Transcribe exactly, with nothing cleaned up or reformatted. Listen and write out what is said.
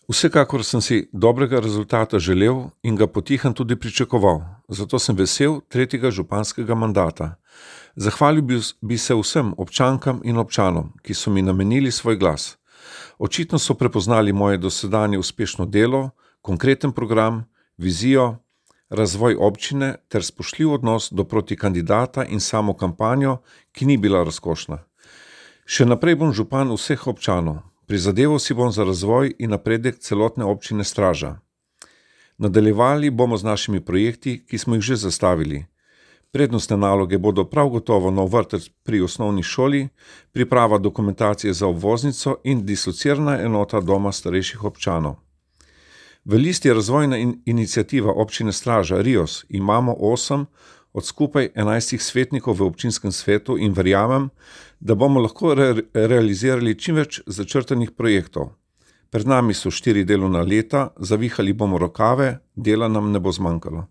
Vsekakor sem si dobrega rezultata želel in ga potihem tudi pričakoval, zato sem vesel tretjega županskega mandata. Zahvalil bi, bi se vsem občankam in občanom, ki so mi namenili svoj glas. Očitno so prepoznali moje dosedanje uspešno delo, konkreten program, vizijo, razvoj občine ter spoštljiv odnos do protikandidata in samo kampanjo, ki ni bila razkošna. Še naprej bom župan vseh občanov. Prizadeval si bom za razvoj in napredek celotne občine Straža. Nadaljevali bomo z našimi projekti, ki smo jih že zastavili. Prednostne naloge bodo prav gotovo nov vrtec pri osnovni šoli, priprava dokumentacije za obvoznico in dislocirana enota doma starejših občanov. V listi razvojna in iniciativa občine Straža Rios imamo osem od skupaj enajstih svetnikov v občinskem svetu in verjamem, da bomo lahko re- realizirali čim več začrtanih projektov. Pred nami so štiri delovna leta, zavihali bomo rokave, dela nam ne bo zmanjkalo.